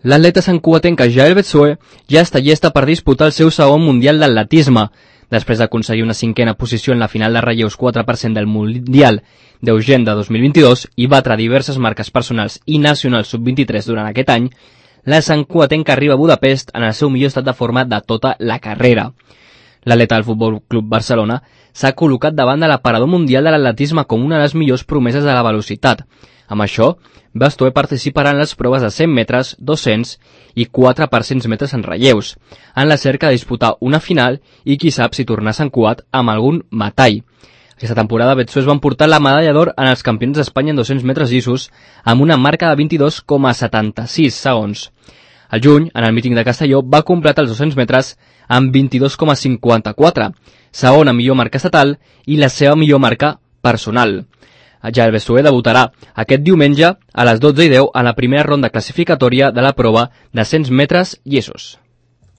L'atleta santcugatenca Jael Betsoe ja està llesta per disputar el seu segon Mundial d'Atletisme. Després d'aconseguir una cinquena posició en la final de relleus 4% del Mundial d'Eugene de 2022 i batre diverses marques personals i nacionals sub-23 durant aquest any, la santcugatenca arriba a Budapest en el seu millor estat de forma de tota la carrera. L'atleta del Futbol Club Barcelona s'ha col·locat davant de l'aparador mundial de l'atletisme com una de les millors promeses de la velocitat. Amb això, Betsoe participarà en les proves de 100 metres, 200 i 4 per 100 metres en relleus, en la cerca de disputar una final i qui sap si tornar a Sant Cugat amb algun metall. Aquesta temporada Betsoe es va emportar la medalla d'or en els campions d'Espanya en 200 metres llissos amb una marca de 22,76 segons. Al juny, en el míting de Castelló, va completar els 200 metres amb 22,54, segona millor marca estatal i la seva millor marca personal. Jael Betsoe debutarà aquest diumenge a les 12:10 en la primera ronda classificatòria de la prova de 100 metres llissos.